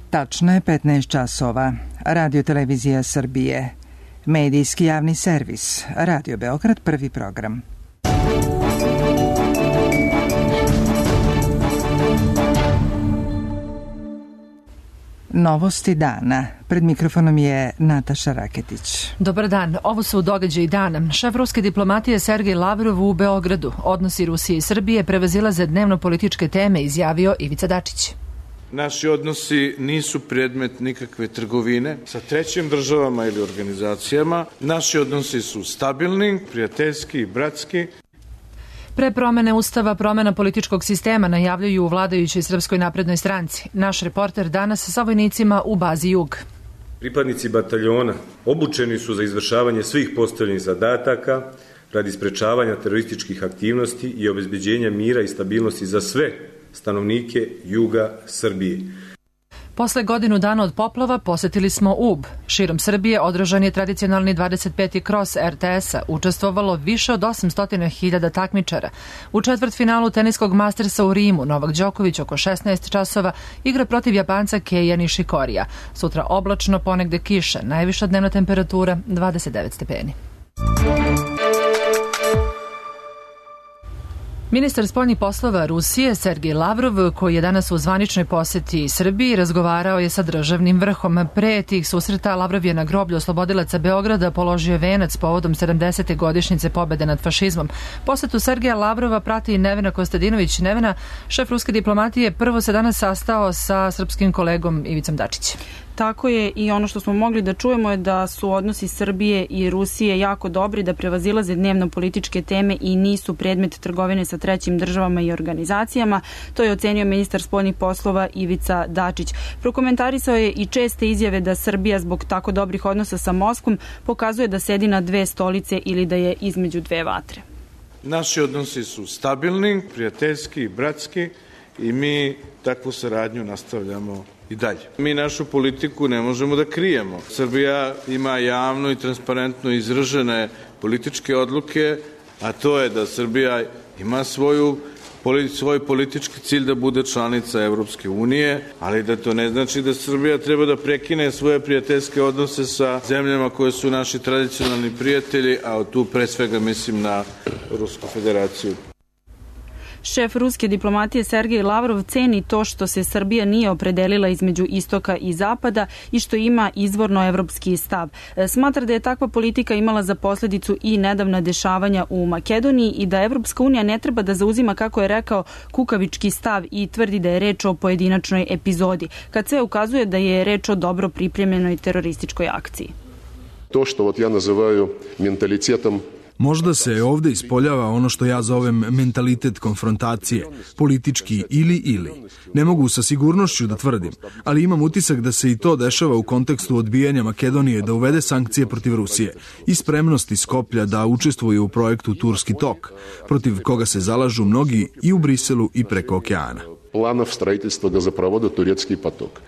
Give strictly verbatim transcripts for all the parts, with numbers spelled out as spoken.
Tačno je petnaest časova. Radio Televizija Srbije. Medijski javni servis. Radio Beograd, prvi program. Novosti dana. Pred mikrofonom je Nataša Raketić. Dobar dan. Ovo su događaji dana. Šef ruske diplomatije Sergej Lavrov u Beogradu. Odnosi Rusije i Srbije prevazilaze dnevno-političke teme, izjavio Ivica Dačić. Naši odnosi nisu predmet nikakve trgovine sa trećim državama ili organizacijama. Naši odnosi su stabilni, prijateljski i bratski. Pre promene Ustava, promena političkog sistema najavljuju u vladajućoj Srpskoj naprednoj stranci. Naš reporter danas sa vojnicima u bazi Jug. Pripadnici bataljona obučeni su za izvršavanje svih postavljenih zadataka radi sprečavanja terorističkih aktivnosti i obezbeđenja mira i stabilnosti za sve stanovnike juga Srbije. Posle godinu dana od poplava posetili smo Ub. Širom Srbije održan je tradicionalni dvadeset peti kros er te esa. Učestvovalo više od osamsto hiljada takmičara. U četvrtfinalu teniskog Mastersa u Rimu Novak Đoković oko šesnaest časova igra protiv Japanca Keija Nishikorija. Sutra oblačno, ponegde kiša. Najviša dnevna temperatura dvadeset devet stepeni. Ministar spoljnih poslova Rusije Sergej Lavrov, koji je danas u zvaničnoj poseti Srbiji, razgovarao je sa državnim vrhom. Pre tih susreta Lavrov je na groblju oslobodilaca Beograda položio venac povodom sedamdesete godišnjice pobede nad fašizmom. Posetu Sergeja Lavrova prati Nevena Kostadinović. Nevena, šef ruske diplomatije, prvo se danas sastao sa srpskim kolegom Ivicom Dačićem. Tako je, i ono što smo mogli da čujemo je da su odnosi Srbije i Rusije jako dobri, da prevazilaze dnevno političke teme i nisu predmet trgovine sa trećim državama i organizacijama. To je ocenio ministar spoljnih poslova Ivica Dačić. Prokomentarisao je i česte izjave da Srbija zbog tako dobrih odnosa sa Moskvom pokazuje da sedi na dve stolice ili da je između dve vatre. Naši odnosi su stabilni, prijateljski i bratski i mi takvu saradnju nastavljamo i dalje. Mi našu politiku ne možemo da krijemo. Srbija ima javno i transparentno izražene političke odluke, a to je da Srbija ima svoju svoj politički cilj da bude članica Evropske unije, ali da to ne znači da Srbija treba da prekine svoje prijateljske odnose sa zemljama koje su naši tradicionalni prijatelji, a tu pre svega mislim na Rusku federaciju. Šef ruske diplomatije Sergej Lavrov ceni to što se Srbija nije opredelila između istoka i zapada i što ima izvorno evropski stav. Smatra da je takva politika imala za posledicu i nedavna dešavanja u Makedoniji i da Evropska unija ne treba da zauzima, kako je rekao, kukavički stav i tvrdi da je reč o pojedinačnoj epizodi, kad sve ukazuje da je reč o dobro pripremljenoj terorističkoj akciji. To što вот ja nazivaju mentalitetom. Možda se ovde ispoljava ono što ja zovem mentalitet konfrontacije, politički ili ili. Ne mogu sa sigurnošću da tvrdim, ali imam utisak da se i to dešava u kontekstu odbijanja Makedonije da uvede sankcije protiv Rusije i spremnosti Skoplja da učestvuje u projektu Turski tok, protiv koga se zalažu mnogi i u Briselu i preko okeana. Planov stроительства газопровода Турецкий поток.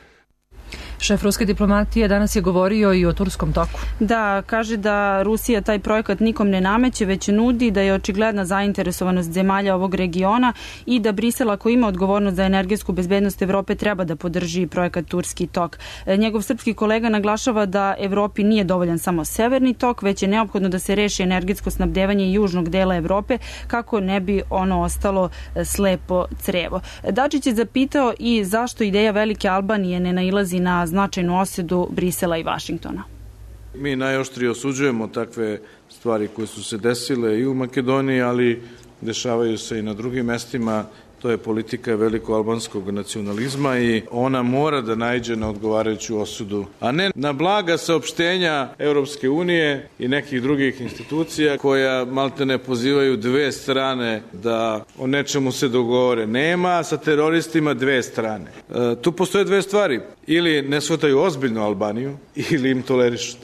Šef ruske diplomatije danas je govorio i o turskom toku. Da, kaže da Rusija taj projekat nikom ne nameće, već nudi, da je očigledna zainteresovanost zemalja ovog regiona i da Brisel, ako ima odgovornost za energetsku bezbednost Evrope, treba da podrži projekat Turski tok. Njegov srpski kolega naglašava da Evropi nije dovoljan samo severni tok, već je neophodno da se reši energetsko snabdevanje južnog dela Evrope, kako ne bi ono ostalo slepo crevo. Dačić je zapitao i zašto ideja Velike Albanije ne nailazi na značajnu osudu Brisela i Vašingtona. Mi najoštrije osuđujemo takve stvari koje su se desile i u Makedoniji, ali dešavaju se i na drugim mestima. To je politika velikoalbanskog nacionalizma i ona mora da naiđe na odgovarajuću osudu, a ne na blaga saopštenja Evropske unije i nekih drugih institucija koja maltene pozivaju dve strane da o nečemu se dogovore. Nema sa teroristima dve strane. E, tu postoje dve stvari. Ili ne shvataju ozbiljno Albaniju ili im tolerišu.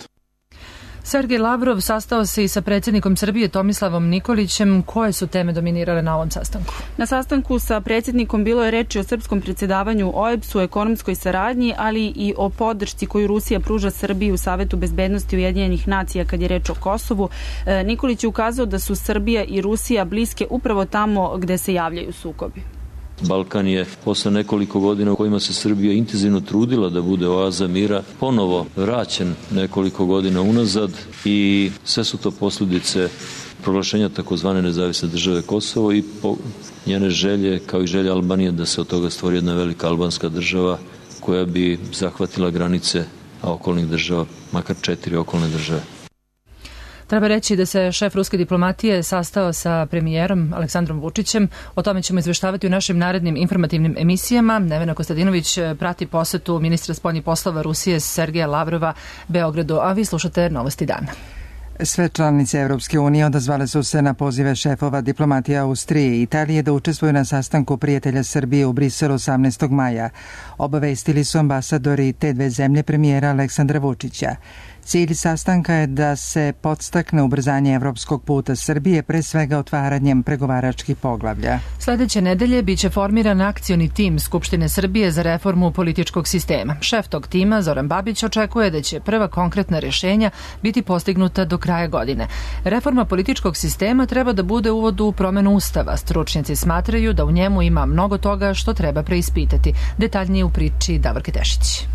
Sergej Lavrov sastao se i sa predsjednikom Srbije Tomislavom Nikolićem. Koje su teme dominirale na ovom sastanku? Na sastanku sa predsjednikom bilo je reči o srpskom predsjedavanju O E B S-u, ekonomskoj saradnji, ali i o podršci koju Rusija pruža Srbiji u Savetu bezbednosti Ujedinjenih nacija kad je reč o Kosovu. Nikolić je ukazao da su Srbija i Rusija bliske upravo tamo gde se javljaju sukobi. Balkan je posle nekoliko godina u kojima se Srbija intenzivno trudila da bude oaza mira, ponovo vraćen nekoliko godina unazad i sve su to posljedice proglašenja takozvane nezavisne države Kosovo i po njene želje, kao i želje Albanije, da se od toga stvori jedna velika albanska država koja bi zahvatila granice okolnih država, makar četiri okolne države. Treba reći da se šef ruske diplomatije sastao sa premijerom Aleksandrom Vučićem. O tome ćemo izveštavati u našim narednim informativnim emisijama. Nevena Kostadinović prati posetu ministra spoljnih poslova Rusije Sergeja Lavrova Beogradu, a vi slušate Novosti dana. Sve članice Evropske unije odazvale su se na pozive šefova diplomatije Austrije i Italije da učestvuju na sastanku prijatelja Srbije u Briselu osamnaestog maja. Obavestili su ambasadori te dve zemlje premijera Aleksandra Vučića. Cilj sastanka je da se podstakne ubrzanje evropskog puta Srbije, pre svega otvaranjem pregovaračkih poglavlja. Sledeće nedelje biće formiran akcioni tim Skupštine Srbije za reformu političkog sistema. Šef tog tima, Zoran Babić, očekuje da će prva konkretna rješenja biti postignuta do kraja godine. Reforma političkog sistema treba da bude uvod u promenu Ustava. Stručnjaci smatraju da u njemu ima mnogo toga što treba preispitati. Detaljnije u priči Davorke Tešić.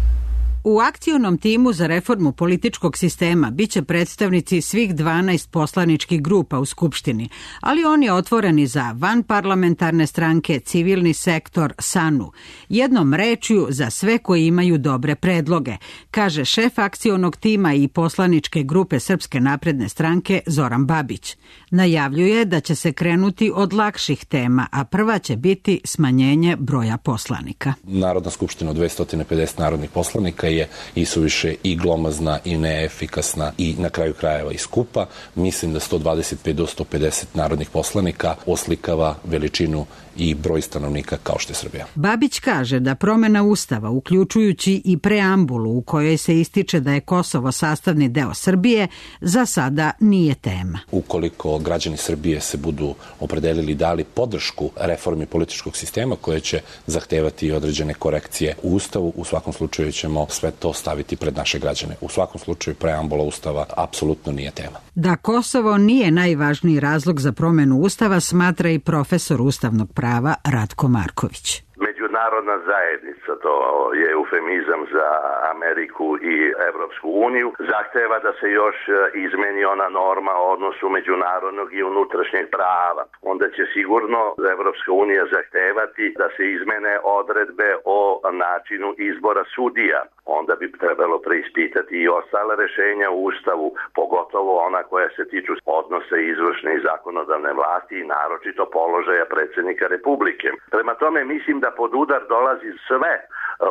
U akcionom timu za reformu političkog sistema biće predstavnici svih dvanaest poslaničkih grupa u Skupštini, ali on je otvoreni za vanparlamentarne stranke, civilni sektor, SANU. Jednom rečju za sve koji imaju dobre predloge, kaže šef akcionog tima i poslaničke grupe Srpske napredne stranke Zoran Babić. Najavljuje da će se krenuti od lakših tema, a prva će biti smanjenje broja poslanika. Narodna skupština od dvesta pedeset narodnih poslanika je i suviše i glomazna i neefikasna i na kraju krajeva i skupa. Mislim da sto dvadeset pet do sto pedeset narodnih poslanika oslikava veličinu i broj stanovnika kao što je Srbija. Babić kaže da promena Ustava, uključujući i preambulu u kojoj se ističe da je Kosovo sastavni deo Srbije, za sada nije tema. Ukoliko građani Srbije se budu opredelili dali podršku reformi političkog sistema koje će zahtevati određene korekcije u Ustavu, u svakom slučaju ćemo sve to staviti pred naše građane. U svakom slučaju preambula Ustava apsolutno nije tema. Da Kosovo nije najvažniji razlog za promenu Ustava, smatra i profesor ustavnog prava Ratko Marković. Međunarodna zajednica, to je eufemizam za Ameriku i Evropsku uniju, zahteva da se još izmeni ona norma o odnosu međunarodnog i unutrašnjeg prava. Onda će sigurno Evropska unija zahtevati da se izmene odredbe o načinu izbora sudija. Onda bi trebalo preispitati i ostale rešenja u Ustavu, pogotovo ona koja se tiču odnosa izvršne i zakonodavne vlasti i naročito položaja predsjednika Republike. Prema tome mislim da pod udar dolazi sve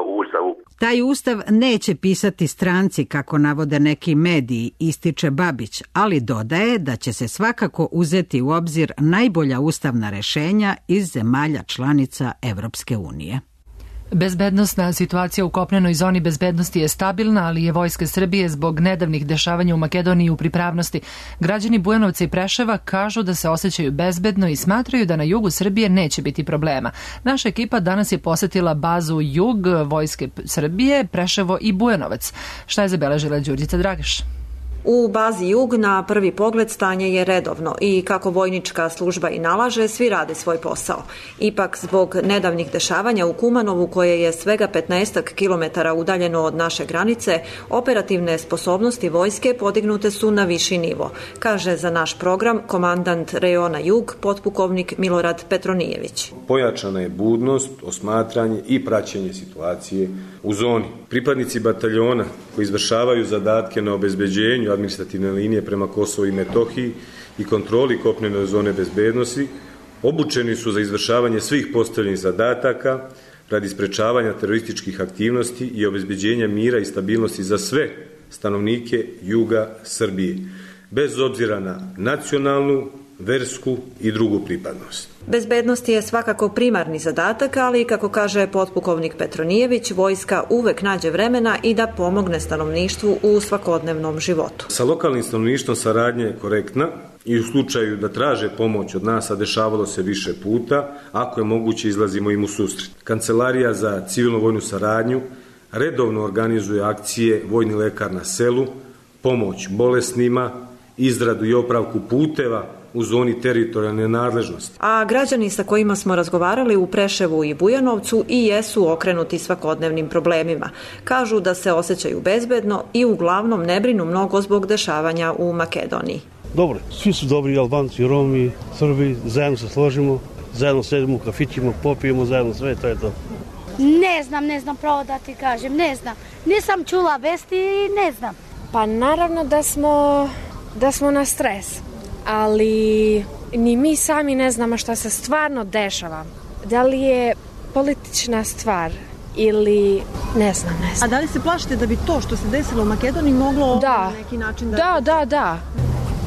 u Ustavu. Taj Ustav neće pisati stranci, kako navode neki mediji, ističe Babić, ali dodaje da će se svakako uzeti u obzir najbolja ustavna rešenja iz zemalja članica Evropske unije. Bezbednosna situacija u kopnenoj zoni bezbednosti je stabilna, ali je Vojska Srbije zbog nedavnih dešavanja u Makedoniji u pripravnosti. Građani Bujanovca i Preševa kažu da se osjećaju bezbedno i smatraju da na jugu Srbije neće biti problema. Naša ekipa danas je posetila bazu Jug Vojske Srbije, Preševo i Bujanovac. Šta je zabeležila Đurđica Dragaš? U bazi Jug na prvi pogled stanje je redovno i kako vojnička služba i nalaže, svi rade svoj posao. Ipak zbog nedavnih dešavanja u Kumanovu, koje je svega petnaestak kilometara udaljeno od naše granice, operativne sposobnosti vojske podignute su na viši nivo, kaže za naš program komandant rejona Jug, potpukovnik Milorad Petronijević. Pojačana je budnost, osmatranje i praćenje situacije u zoni. Pripadnici bataljona koji izvršavaju zadatke na obezbeđenju administrativne linije prema Kosovu i Metohiji i kontroli kopnene zone bezbednosti obučeni su za izvršavanje svih postavljenih zadataka radi sprečavanja terorističkih aktivnosti i obezbeđenja mira i stabilnosti za sve stanovnike juga Srbije, bez obzira na nacionalnu, versku i drugu pripadnost. Bezbednost je svakako primarni zadatak, ali kako kaže potpukovnik Petronijević, vojska uvek nađe vremena i da pomogne stanovništvu u svakodnevnom životu. Sa lokalnim stanovništvom saradnja je korektna i u slučaju da traže pomoć od nas, a dešavalo se više puta, ako je moguće izlazimo im u susret. Kancelarija za civilno-vojnu saradnju redovno organizuje akcije Vojni lekar na selu, pomoć bolesnima, izradu i opravku puteva u zoni teritorijalne nadležnosti. A građani sa kojima smo razgovarali u Preševu i Bujanovcu i jesu okrenuti svakodnevnim problemima. Kažu da se osjećaju bezbedno i uglavnom ne brinu mnogo zbog dešavanja u Makedoniji. Dobro, svi su dobri, Albanci, Romi, Srbi, zajedno se složimo, zajedno sedimo u kafićima, popijemo zajedno sve, to je to. Ne znam, ne znam, pravo da ti kažem, ne znam. Nisam čula vesti i ne znam. Pa naravno da smo, da smo na stres, ali ni mi sami ne znamo šta se stvarno dešava. Da li je politična stvar ili ne znam, ne znam. A da li se plašite da bi to što se desilo u Makedoniji moglo da. na neki način da... Da, da, da.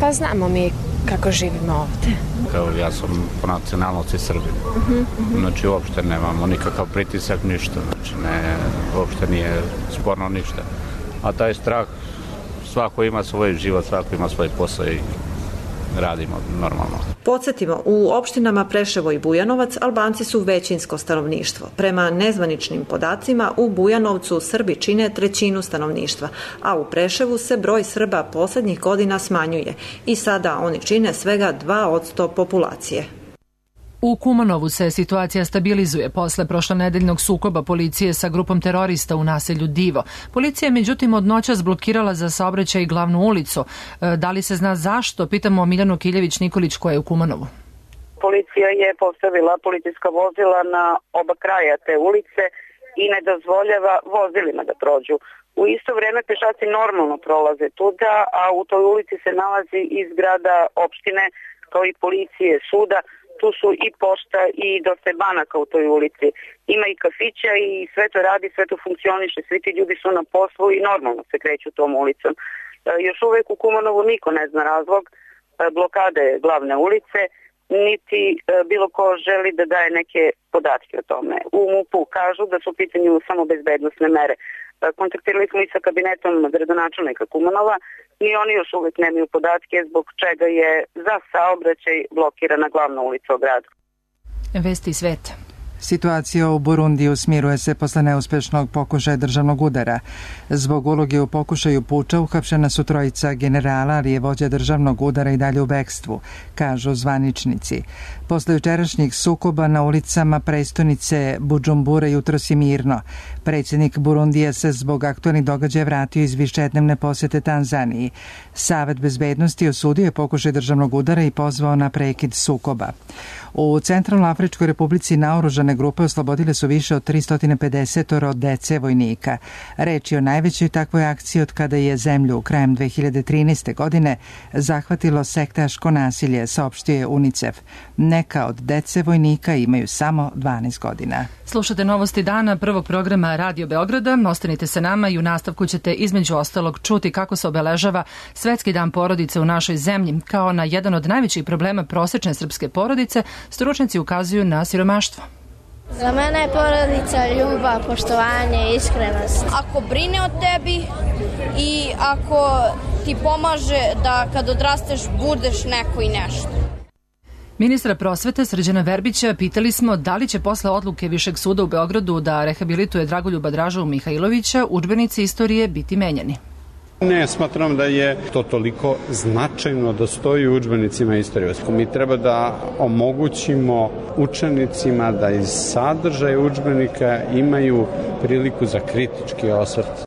Pa znamo mi kako živimo ovde. Kao ja sam po nacionalnosti Srbin. Uh-huh, uh-huh. Znači uopšte nemamo nikakav pritisak, ništa. Znači ne, uopšte nije sporno ništa. A taj strah, svako ima svoj život, svako ima svoj posao i radimo normalno. Podsjetimo, u opštinama Preševo i Bujanovac Albanci su većinsko stanovništvo. Prema nezvaničnim podacima, u Bujanovcu Srbi čine trećinu stanovništva, a u Preševu se broj Srba poslednjih godina smanjuje i sada oni čine svega dva posto populacije. U Kumanovu se situacija stabilizuje posle prošlonedeljnog sukoba policije sa grupom terorista u naselju Divo. Policija je međutim od noća zblokirala za saobraćaj i glavnu ulicu. Da li se zna zašto? Pitamo Miljanu Kiljević-Nikolić koja je u Kumanovu. Policija je postavila policijska vozila na oba kraja te ulice i ne dozvoljava vozilima da prođu. U isto vreme pešaci normalno prolaze tuda, a u toj ulici se nalazi i zgrada opštine kao i policije, suda. Tu su i pošta i dosta banaka u toj ulici. Ima i kafića i sve to radi, sve to funkcioniše. Svi ti ljudi su na poslu i normalno se kreću tom ulicom. E, još uvek u Kumanovu niko ne zna razlog e, blokade glavne ulice, niti e, bilo ko želi da daje neke podatke o tome. U MUP-u kažu da su u pitanju samo bezbednosne mere. E, kontaktirali smo i sa kabinetom gradonačelnika Kumanova i oni još uvek nemaju podatke zbog čega je za saobraćaj blokirana glavna ulica u gradu. Vesti sveta. Situacija u Burundiju smiruje se posle neuspešnog pokušaja državnog udara. Zbog uloge u pokušaju puča uhapšena su trojica generala, ali je vođa državnog udara i dalje u bekstvu, kažu zvaničnici. Posle jučerašnjih sukoba na ulicama prestonice Budžumbure jutros je mirno. Predsjednik Burundija se zbog aktualnih događaja vratio iz višednevne posete Tanzaniji. Savet bezbednosti osudio je pokušaj državnog udara i pozvao na prekid sukoba. U Centralnoafričkoj republici naoružane grupe oslobodile su više od tristo pedeset dece vojnika. Reč je o najvećoj takvoj akciji od kada je zemlju krajem dve hiljade trinaeste. godine zahvatilo sektaško nasilje, saopštio je UNICEF. Neka od dece vojnika imaju samo dvanaest godina. Slušate novosti dana prvog programa Radio Beograda. Ostanite sa nama i u nastavku ćete između ostalog čuti kako se obeležava Svetski dan porodice u našoj zemlji. Kao na jedan od najvećih problema prosečne srpske porodice, stručnjaci ukazuju na siromaštvo. Za mene je porodica ljubav, poštovanje, iskrenost. Ako brine o tebi i ako ti pomaže da kad odrasteš budeš neko i nešto. Ministra prosvete Srđana Verbića pitali smo da li će posle odluke Višeg suda u Beogradu da rehabilituje Dragoljuba Dražu Mihajlovića udžbenici istorije biti menjani. Ne, smatram da je to toliko značajno da stoji u udžbenicima istorije. Mi treba da omogućimo učenicima da iz sadržaja udžbenika imaju priliku za kritički osvrt.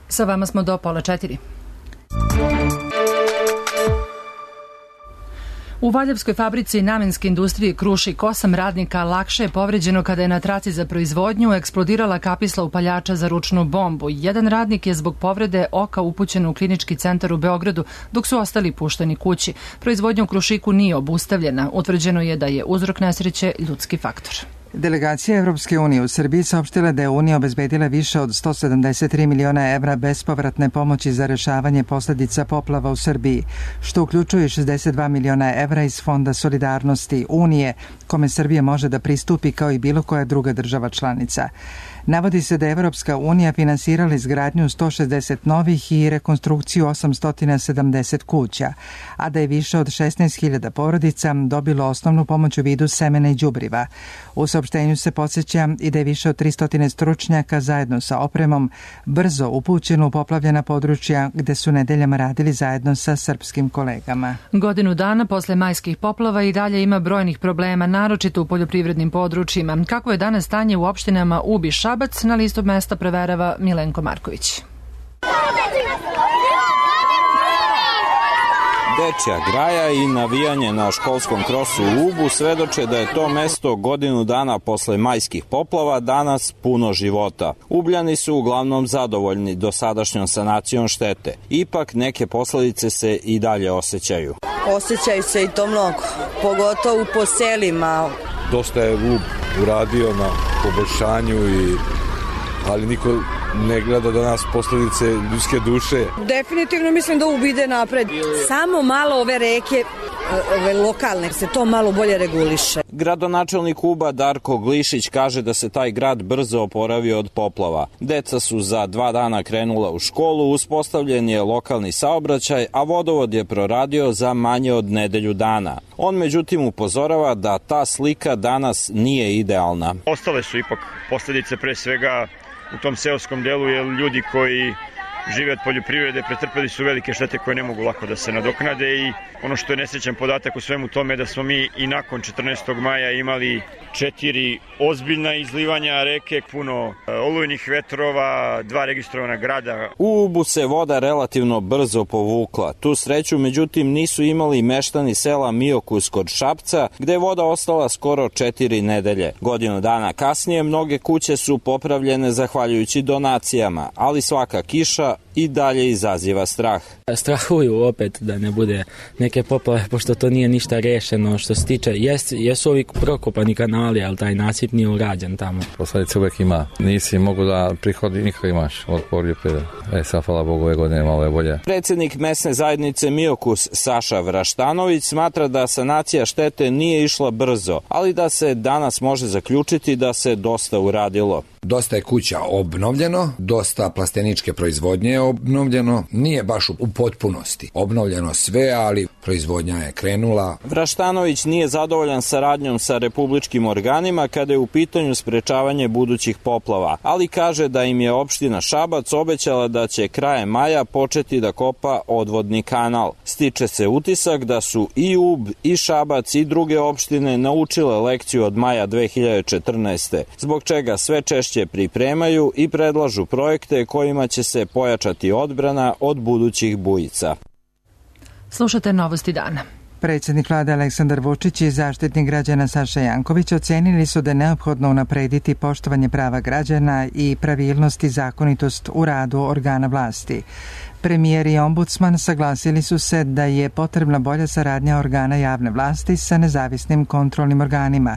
Sa vama smo do pola četiri. U Valjevskoj fabrici namenske industrije Krušik osam radnika lakše je povređeno kada je na traci za proizvodnju eksplodirala kapisla upaljača za ručnu bombu. Jedan radnik je zbog povrede oka upućen u klinički centar u Beogradu, dok su ostali pušteni kući. Proizvodnja u Krušiku nije obustavljena. Utvrđeno je da je uzrok nesreće ljudski faktor. Delegacija Evropske unije u Srbiji saopštila da je Unija obezbedila više od sto sedamdeset tri miliona evra bespovratne pomoći za rešavanje posledica poplava u Srbiji, što uključuje šezdeset dva miliona evra iz Fonda solidarnosti Unije, kome Srbija može da pristupi kao i bilo koja druga država članica. Navodi se da je Evropska unija finansirala izgradnju sto šezdeset novih i rekonstrukciju osamsto sedamdeset kuća, a da je više od šesnaest hiljada porodica dobilo osnovnu pomoć u vidu semena i đubriva. U saopštenju se podsjeća i da je više od tristo stručnjaka zajedno sa opremom brzo upućeno u poplavljena područja gde su nedeljama radili zajedno sa srpskim kolegama. Godinu dana posle majskih poplava i dalje ima brojnih problema, naročito u poljoprivrednim područjima. Kako je danas stanje u opštinama Ub i Šabac, na listu mesta preverava Milenko Marković. Dečja graja i navijanje na školskom krosu u Ubu svedoče da je to mesto godinu dana posle majskih poplava danas puno života. Ubljani su uglavnom zadovoljni dosadašnjom sanacijom štete. Ipak neke posledice se i dalje osjećaju. Osjećaju se i to mnogo, pogotovo po selima. Dosta je Ub uradio na poboljšanju, i, ali niko ne gleda da nas posledice ljudske duše. Definitivno mislim da Ub ide napred. Samo malo ove reke, ove lokalne, se to malo bolje reguliše. Gradonačelnik Uba Darko Glišić kaže da se taj grad brzo oporavio od poplava. Deca su za dva dana krenula u školu, uspostavljen je lokalni saobraćaj, a vodovod je proradio za manje od nedelju dana. On međutim upozorava da ta slika danas nije idealna. Ostale su ipak posledice pre svega u tom seoskom delu, jer ljudi koji žive od poljoprivrede pretrpeli su velike štete koje ne mogu lako da se nadoknade, i ono što je nesrećan podatak u svemu tome je da smo mi i nakon četrnaestog maja imali četiri ozbiljna izlivanja reke, puno olujnih vetrova, dva registrovana grada. U Ubu se voda relativno brzo povukla. Tu sreću međutim nisu imali meštani sela Miokus kod Šapca, gde je voda ostala skoro četiri nedelje. Godinu dana kasnije mnoge kuće su popravljene zahvaljujući donacijama, ali svaka kiša i dalje izaziva strah. Strahuju opet da ne bude neke poplave, pošto to nije ništa rešeno što se tiče. Jes, jesu ovi prokopani kanali, ali taj nasip nije urađen tamo. Posledice uvek ima. Nisi mogu da prihodi nikako imaš od poljoprivrede. E, sad, hvala Bogu, ove godine malo je bolje. Predsjednik mesne zajednice Miokus Saša Vraštanović smatra da sanacija štete nije išla brzo, ali da se danas može zaključiti da se dosta uradilo. Dosta je kuća obnovljeno, dosta plasteničke proizvodnje je obnovljeno, nije baš u potpunosti obnovljeno sve, ali proizvodnja je krenula. Vraštanović nije zadovoljan saradnjom sa republičkim organima kada je u pitanju sprečavanje budućih poplava, ali kaže da im je opština Šabac obećala da će krajem maja početi da kopa odvodni kanal. Stiče se utisak da su i Ub, i Šabac i druge opštine naučile lekciju od maja dve hiljade četrnaeste, zbog čega sve češće pripremaju i predlažu projekte kojima će se pojačati odbrana od budućih bujica. Slušate Novosti dana. Predsjednik vlade Aleksandar Vučić i zaštitnik građana Saša Janković ocenili su da je neophodno unaprediti poštovanje prava građana i pravilnost i zakonitost u radu organa vlasti. Premijer i ombudsman saglasili su se da je potrebna bolja saradnja organa javne vlasti sa nezavisnim kontrolnim organima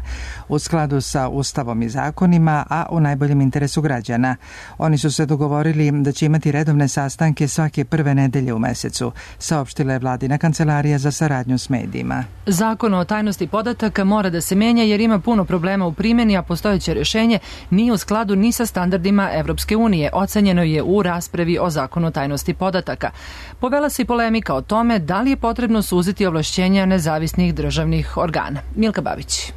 u skladu sa Ustavom i zakonima, a u najboljem interesu građana. Oni su se dogovorili da će imati redovne sastanke svake prve nedelje u mesecu, saopštila je vladina kancelarija za saradnju s medijima. Zakon o tajnosti podataka mora da se menja jer ima puno problema u primjeni, a postojeće rješenje nije u skladu ni sa standardima Evropske unije, ocenjeno je u raspravi o zakonu o tajnosti podataka. Podataka. Povela se i polemika o tome da li je potrebno suziti ovlašćenja nezavisnih državnih organa. Milka Babić.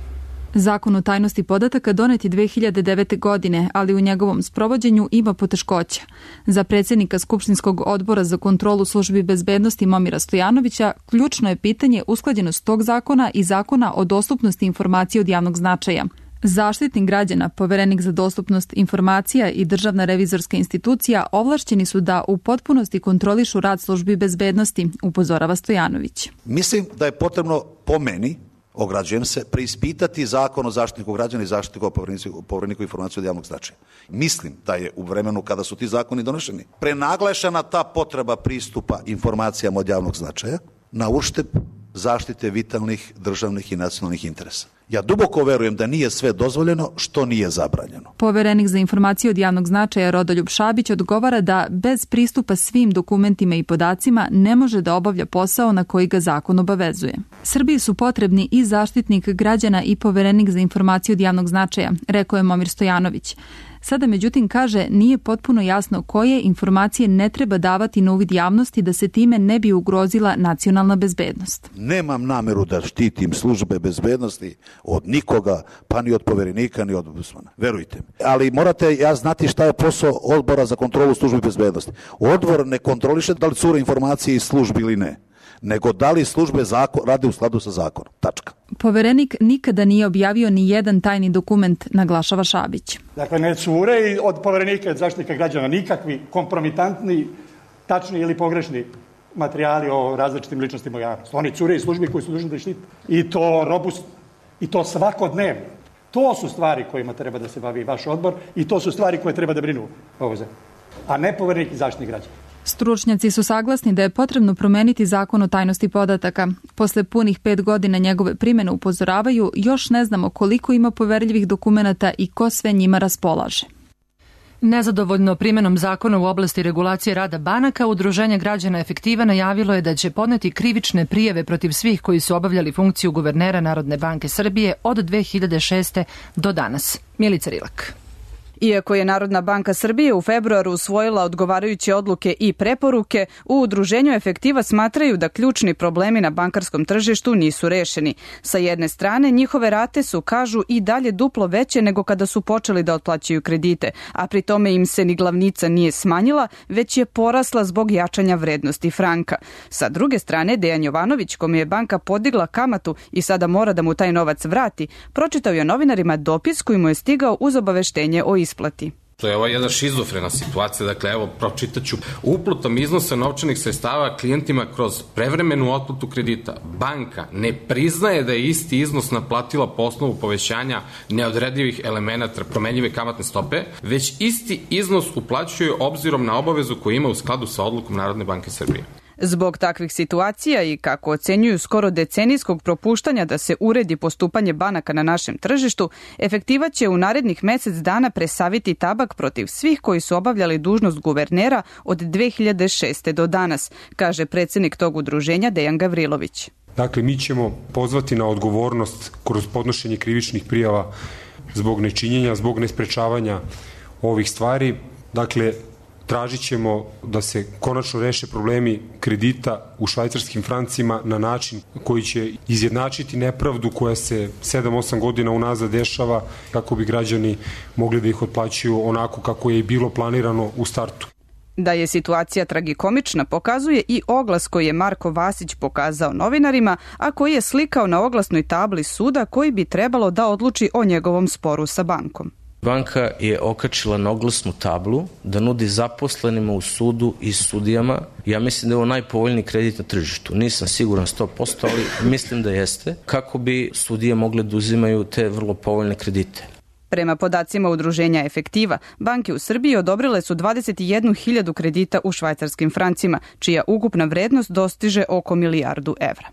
Zakon o tajnosti podataka donet je dve hiljade devete. godine, ali u njegovom sprovođenju ima poteškoća. Za predsjednika Skupštinskog odbora za kontrolu službi bezbednosti Momira Stojanovića ključno je pitanje usklađenost tog zakona i zakona o dostupnosti informacija od javnog značaja. Zaštitnik građana, poverenik za dostupnost informacija i državna revizorska institucija ovlašćeni su da u potpunosti kontrolišu rad službi bezbednosti, upozorava Stojanović. Mislim da je potrebno, po meni, ograđujem se, preispitati zakon o zaštitniku građana i zaštitniku o povereniku informacija od javnog značaja. Mislim da je u vremenu kada su ti zakoni donošeni prenaglašena ta potreba pristupa informacijama od javnog značaja na uštep zaštite vitalnih državnih i nacionalnih interesa. Ja duboko verujem da nije sve dozvoljeno što nije zabranjeno. Poverenik za informacije od javnog značaja Rodoljub Šabić odgovara da bez pristupa svim dokumentima i podacima ne može da obavlja posao na koji ga zakon obavezuje. Srbiji su potrebni i zaštitnik građana i poverenik za informacije od javnog značaja, rekao je Momir Stojanović. Sada međutim kaže nije potpuno jasno koje informacije ne treba davati na uvid javnosti da se time ne bi ugrozila nacionalna bezbednost. Nemam nameru da štitim službe bezbednosti od nikoga, pa ni od poverenika, ni od ombudsmana. Verujte mi. Ali morate ja znati šta je posao odbora za kontrolu službi bezbednosti. Odbor ne kontroliše da li cure informacije iz službi ili ne, nego da li službe zakon, rade u skladu sa zakonom. Tačka. Poverenik nikada nije objavio ni jedan tajni dokument, naglašava Šabić. Dakle, ne cure i od poverenika od zaštitnika građana nikakvi kompromitantni, tačni ili pogrešni materijali o različitim ličnostima javnosti. Oni cure i službi koji su dužni da štite. I to robustno. I to svakodnevno. To su stvari kojima treba da se bavi vaš odbor i to su stvari koje treba da brinu ovo zemlje. A ne poverenik i zaštitnik građana. Stručnjaci su saglasni da je potrebno promeniti zakon o tajnosti podataka. Posle punih pet godina njegove primjene upozoravaju, još ne znamo koliko ima poverljivih dokumenata i ko sve njima raspolaže. Nezadovoljno primjenom zakona u oblasti regulacije rada banaka, Udruženje građana Efektiva najavilo je da će podneti krivične prijave protiv svih koji su obavljali funkciju guvernera Narodne banke Srbije od dve hiljade šeste. do danas. Milica Rilak. Iako je Narodna banka Srbije u februaru usvojila odgovarajuće odluke i preporuke, u Udruženju Efektiva smatraju da ključni problemi na bankarskom tržištu nisu rešeni. Sa jedne strane, njihove rate su, kažu, i dalje duplo veće nego kada su počeli da otplaćaju kredite, a pri tome im se ni glavnica nije smanjila, već je porasla zbog jačanja vrednosti franka. Sa druge strane, Dejan Jovanović, kome je banka podigla kamatu i sada mora da mu taj novac vrati, pročitao je novinarima dopis koji mu je stigao uz obaveštenje o isplati. To je ova jedna šizofrena situacija, dakle evo pročitaću. Uplotom iznosa novčanih sredstava klijentima kroz prevremenu otplatu kredita. Banka ne priznaje da je isti iznos naplatila po osnovu povećanja neodredivih elemenata promenljive kamatne stope, već isti iznos uplaćuje obzirom na obavezu koju ima u skladu sa odlukom Narodne banke Srbije. Zbog takvih situacija i kako ocenjuju skoro decenijskog propuštanja da se uredi postupanje banaka na našem tržištu, Efektiva će u narednih mesec dana presaviti tabak protiv svih koji su obavljali dužnost guvernera od dve hiljade šeste. do danas, kaže predsjednik tog udruženja Dejan Gavrilović. Dakle, mi ćemo pozvati na odgovornost kroz podnošenje krivičnih prijava zbog nečinjenja, zbog nesprečavanja ovih stvari. Dakle, tražit ćemo da se konačno reše problemi kredita u švajcarskim francima na način koji će izjednačiti nepravdu koja se sedam osam godina unazad dešava kako bi građani mogli da ih otplaćuju onako kako je i bilo planirano u startu. Da je situacija tragikomična pokazuje i oglas koji je Marko Vasić pokazao novinarima, a koji je slikao na oglasnoj tabli suda koji bi trebalo da odluči o njegovom sporu sa bankom. Banka je okačila na oglasnu tablu da nudi zaposlenima u sudu i sudijama. Ja mislim da je ovo najpovoljniji kredit na tržištu. Nisam siguran sto posto, ali mislim da jeste. Kako bi sudije mogle da uzimaju te vrlo povoljne kredite. Prema podacima Udruženja Efektiva, banke u Srbiji odobrile su dvadeset jednu hiljadu kredita u švajcarskim francima, čija ukupna vrednost dostiže oko milijardu evra.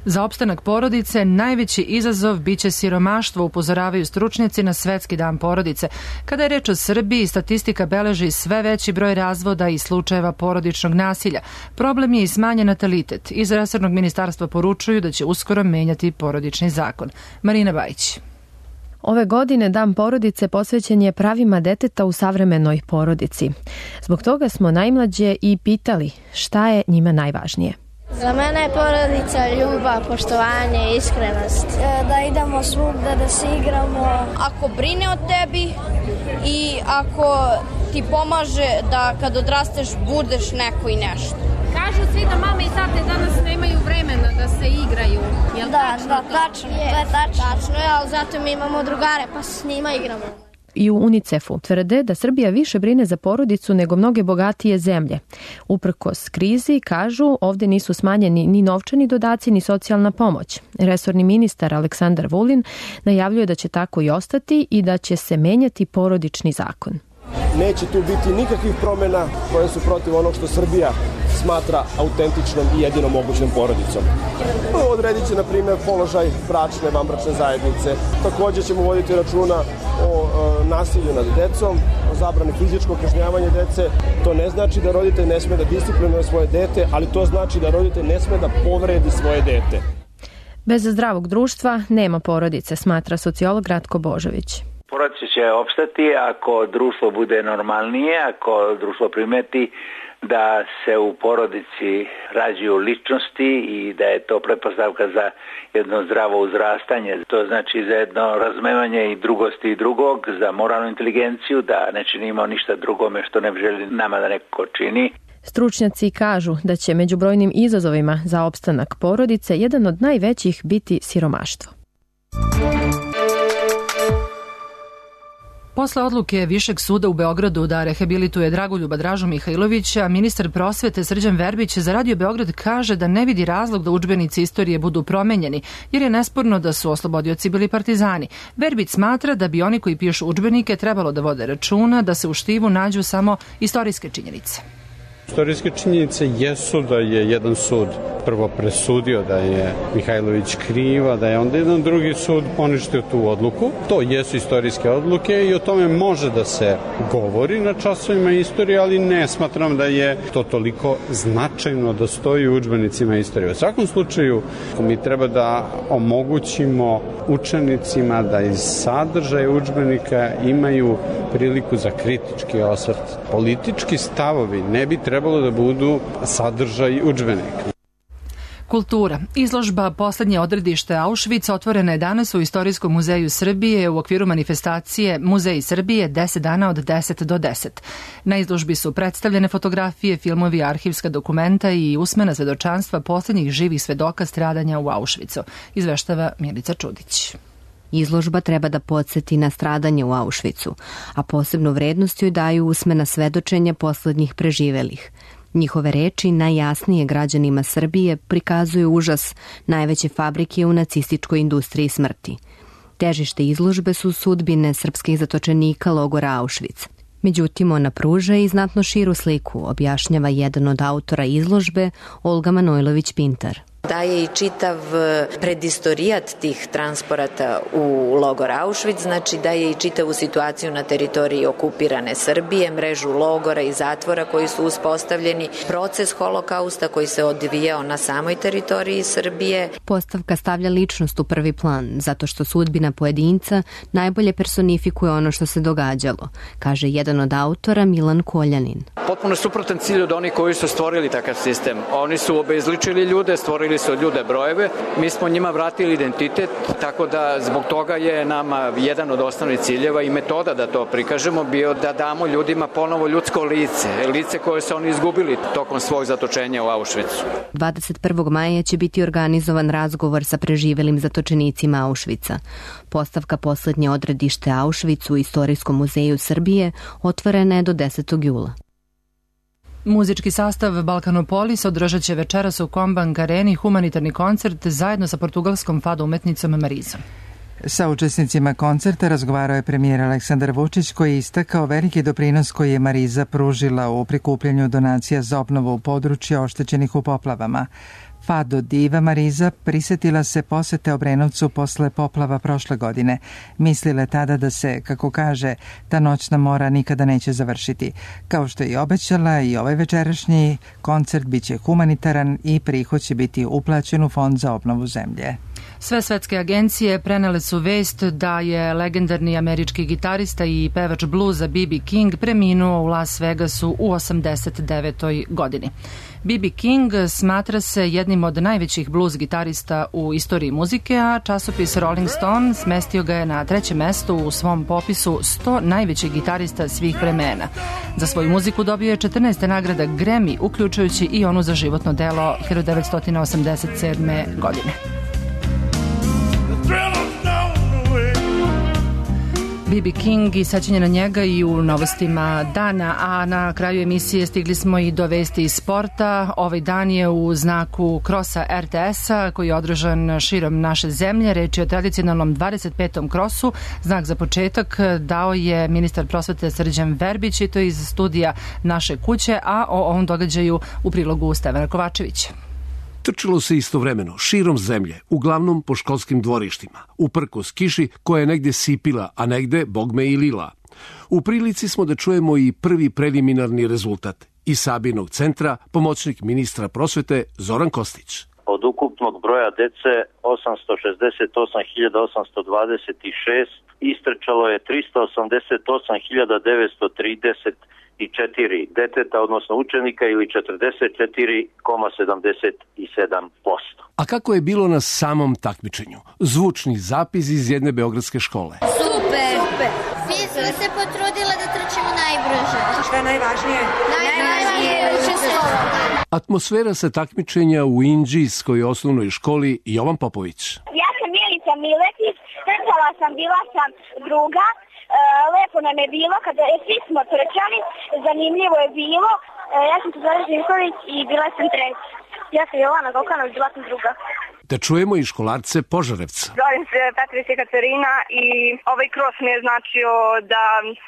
Za opstanak porodice najveći izazov biće siromaštvo, upozoravaju stručnjaci na Svetski dan porodice. Kada je reč o Srbiji, statistika beleži sve veći broj razvoda i slučajeva porodičnog nasilja. Problem je i smanjen natalitet. Iz resornog ministarstva poručuju da će uskoro menjati porodični zakon. Marina Bajić. Ove godine Dan porodice posvećen je pravima deteta u savremenoj porodici. Zbog toga smo najmlađe i pitali šta je njima najvažnije. Za mene je porodica ljubav, poštovanje, iskrenost. Da idemo svugda, da se igramo. Ako brine o tebi i ako ti pomaže da kad odrasteš budeš neko i nešto. Kažu svi da mame i tate danas nemaju vremena da se igraju. Jel da, tačno da, to? tačno, je, to je tačno. Tačno je, ali zato mi imamo drugare pa s njima igramo. I u UNICEF-u tvrde da Srbija više brine za porodicu nego mnoge bogatije zemlje. Uprkos krizi, kažu, ovde nisu smanjeni ni novčani dodaci ni socijalna pomoć. Resorni ministar Aleksandar Vulin najavljuje da će tako i ostati i da će se menjati porodični zakon. Neće tu biti nikakvih promjena koje su protiv onog što Srbija smatra autentičnom i jedinom mogućnom porodicom. Odredit će, na primjer, položaj bračne, vanbračne zajednice. Također ćemo voditi računa o e, nasilju nad decom, o zabrani fizičkog kažnjavanja dece. To ne znači da roditelj ne sme da disciplinuje svoje dete, ali to znači da roditelj ne sme da povredi svoje dete. Bez zdravog društva nema porodice, smatra sociolog Ratko Božović. Porodice će opstati ako društvo bude normalnije, ako društvo primeti da se u porodici rađaju ličnosti i da je to pretpostavka za jedno zdravo uzrastanje. To znači za jedno razumevanje i drugosti i drugog, za moralnu inteligenciju, da ne činimo ništa drugome što ne želi nama da neko čini. Stručnjaci kažu da će među brojnim izazovima za opstanak porodice jedan od najvećih biti siromaštvo. Posle odluke Višeg suda u Beogradu da rehabilituje Dragoljuba Dražu Mihajlovića, ministar prosvete Srđan Verbić za Radio Beograd kaže da ne vidi razlog da udžbenici istorije budu promenjeni, jer je nesporno da su oslobodioci bili partizani. Verbić smatra da bi oni koji pišu udžbenike trebalo da vode računa da se u štivu nađu samo istorijske činjenice. Istorijske činjenice jesu da je jedan sud prvo presudio da je Mihajlović kriva, da je onda jedan drugi sud poništio tu odluku. To jesu istorijske odluke i o tome može da se govori na časovima istorije, ali ne smatram da je to toliko značajno da stoji u udžbenicima istorije. U svakom slučaju mi treba da omogućimo učenicima da iz sadržaja udžbenika imaju priliku za kritički osvrt. Politički stavovi ne bi trebalo da budu sadržaj udžbenika. Kultura. Izložba Poslednje odredište Auschwitz otvorena je danas u Istorijskom muzeju Srbije u okviru manifestacije Muzej Srbije deset dana od deset do deset. Na izložbi su predstavljene fotografije, filmovi, arhivska dokumenta i usmena svedočanstva poslednjih živih svedoka stradanja u Auschwitzu, izveštava Milica Čudić. Izložba treba da podsjeti na stradanje u Auschwitzu, a posebnu vrednost joj daju usmena svedočenja poslednjih preživelih. Njihove reči najjasnije građanima Srbije prikazuju užas najveće fabrike u nacističkoj industriji smrti. Težište izložbe su sudbine srpskih zatočenika logora Auschwitz. Međutim, ona pruža i znatno širu sliku, objašnjava jedan od autora izložbe, Olga Manojlović-Pintar. Daje i čitav predistorijat tih transporata u logor Auschwitz, znači daje i čitavu situaciju na teritoriji okupirane Srbije, mrežu logora i zatvora koji su uspostavljeni, proces holokausta koji se odvijao na samoj teritoriji Srbije. Postavka stavlja ličnost u prvi plan, zato što sudbina pojedinca najbolje personifikuje ono što se događalo, kaže jedan od autora Milan Koljanin. Potpuno suprotan cilj od onih koji su stvorili takav sistem. Oni su obezličili ljude, stvorili su od ljude brojeve, mi smo njima vratili identitet, tako da zbog toga je nama jedan od osnovnih ciljeva i metoda da to prikažemo bio da damo ljudima ponovo ljudsko lice, lice koje su oni izgubili tokom svog zatočenja u Auschwitzu. dvadeset prvog maja će biti organizovan razgovor sa preživelim zatočenicima Auschwitza. Postavka Poslednje odredište Auschwitz u Istorijskom muzeju Srbije otvorena je do desetog jula. Muzički sastav Balkanopolis održat će večeras u Kombank areni humanitarni koncert zajedno sa portugalskom fado umetnicom Marizom. Sa učesnicima koncerta razgovarao je premijer Aleksandar Vučić koji je istakao veliki doprinos koji je Mariza pružila u prikupljanju donacija za obnovu područja oštećenih u poplavama. Fado diva Mariza prisetila se posete Obrenovcu posle poplava prošle godine. Mislila je tada da se, kako kaže, ta noćna mora nikada neće završiti. Kao što je i obećala, i ovaj večerašnji koncert biće humanitaran i prihod će biti uplaćen u Fond za obnovu zemlje. Sve svetske agencije prenele su vest da je legendarni američki gitarista i pevač bluza B B King preminuo u Las Vegasu u osamdeset devetoj godini. B B King smatra se jednim od najvećih blues gitarista u istoriji muzike, a časopis Rolling Stone smestio ga je na trećem mestu u svom popisu sto najvećih gitarista svih vremena. Za svoju muziku dobio je četrnaest nagrada Grammy, uključujući i onu za životno delo hiljadu devetsto osamdeset sedme. godine. B B King i sećanje na njega i u novostima dana, a na kraju emisije stigli smo i do vesti iz sporta. Ovaj dan je u znaku krosa R T S-a koji je održan širom naše zemlje. Reč je o tradicionalnom dvadeset petom krosu. Znak za početak dao je ministar prosvete Srđan Verbić i to iz studija Naše kuće, a o ovom događaju u prilogu Stevana Kovačevića. Trčalo se istovremeno, širom zemlje, uglavnom po školskim dvorištima, uprkos kiši koja je negde sipila, a negde, bogme, i lila. U prilici smo da čujemo i prvi preliminarni rezultat. Iz Sabinog centra, pomoćnik ministra prosvete Zoran Kostić. od ukupnog broja dece osamsto šezdeset osam hiljada osamsto dvadeset šest istrčalo je tristo osamdeset osam hiljada devetsto trideset četiri deteta, odnosno učenika, ili četrdeset četiri zarez sedamdeset sedam posto. A kako je bilo na samom takmičenju? Zvučni zapis iz jedne beogradske škole. Super! Super. Svi smo se potrudile da trčimo najbrže. Šta je najvažnije? Najvažnije je učestvovanje. Atmosfera sa takmičenja u Inđijskoj osnovnoj školi Jovan Popović. Ja sam Milica Miletić, trčala sam, bila sam druga. Lepo nam je bilo kada svi smo trčali, zanimljivo je bilo. Ja sam Tuzara Živković i bila sam treća. Ja sam Jovana Gokanović, bila sam druga. Da čujemo i školarce Požarevca. Zovem se Petrić Katarina i ovaj kros mi je značio da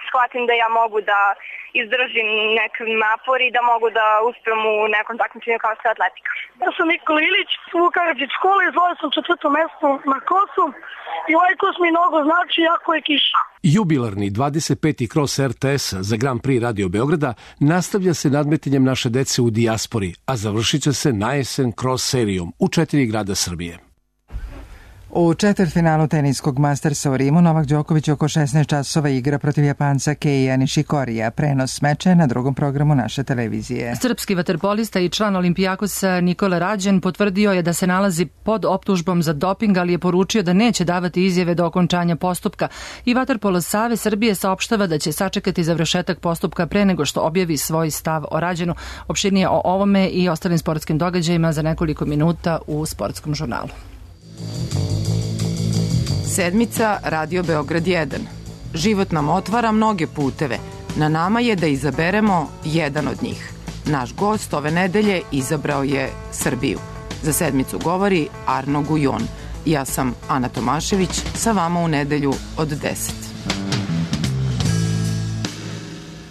shvatim da ja mogu da izdržim nek napor i da mogu da uspem u nekom takmičenju kao što je atletika. Ja sam Nikola Ilić, Vukaradžić škole, izvojio sam četvrto mesto na krosu i ovaj kros mi mnogo znači, jako je kiša. Jubilarni dvadeset peti kros er te es za Grand Prix Radio Beograda nastavlja se nadmetanjem naše dece u dijaspori, a završit će se najesen kros serijom u četiri grada Srbije. U četvrtfinalu teniskog Mastersa u Rimu Novak Đoković oko šesnaest časova igra protiv Japanca Keija Nishikorija. Prenos meča na drugom programu naše televizije. Srpski vaterpolista i član Olimpijakosa Nikola Rađen potvrdio je da se nalazi pod optužbom za doping, ali je poručio da neće davati izjave do okončanja postupka. I Vaterpolo Savez Srbije saopštava da će sačekati završetak postupka pre nego što objavi svoj stav o Rađenu. Opširnije o ovome i ostalim sportskim događajima za nekoliko minuta u Sportskom žurnalu. Sedmica Radio Beograd jedan. Život nam otvara mnoge puteve. Na nama je da izaberemo jedan od njih. Naš gost ove nedelje izabrao je Srbiju. Za sedmicu govori Arno Gujon. Ja sam Ana Tomašević, sa vama u nedelju od deset.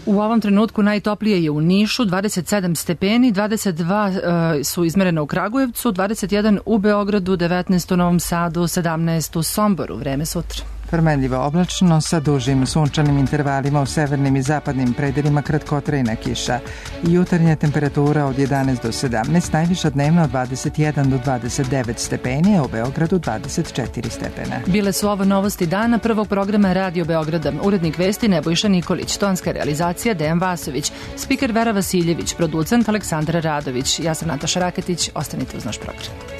U ovom trenutku najtoplije je u Nišu, dvadeset sedam stepeni, dvadeset dva e, su izmerene u Kragujevcu, dvadeset jedan u Beogradu, devetnaest u Novom Sadu, sedamnaest u Somboru. Vreme sutra. Promenljivo oblačno sa dužim sunčanim intervalima u severnim i zapadnim predelima kratkotrajna kiša. Jutarnja temperatura od jedanaest do sedamnaest, najviša dnevno od dvadeset jedan do dvadeset devet stepeni, a u Beogradu dvadeset četiri stepena. Bile su ovo novosti dana prvog programa Radio Beograda. Urednik vesti Nebojša Nikolić, tonska realizacija Dejan Vasović, spiker Vera Vasiljević, producent Aleksandra Radović. Ja sam Nataša Raketić, ostanite uz naš program.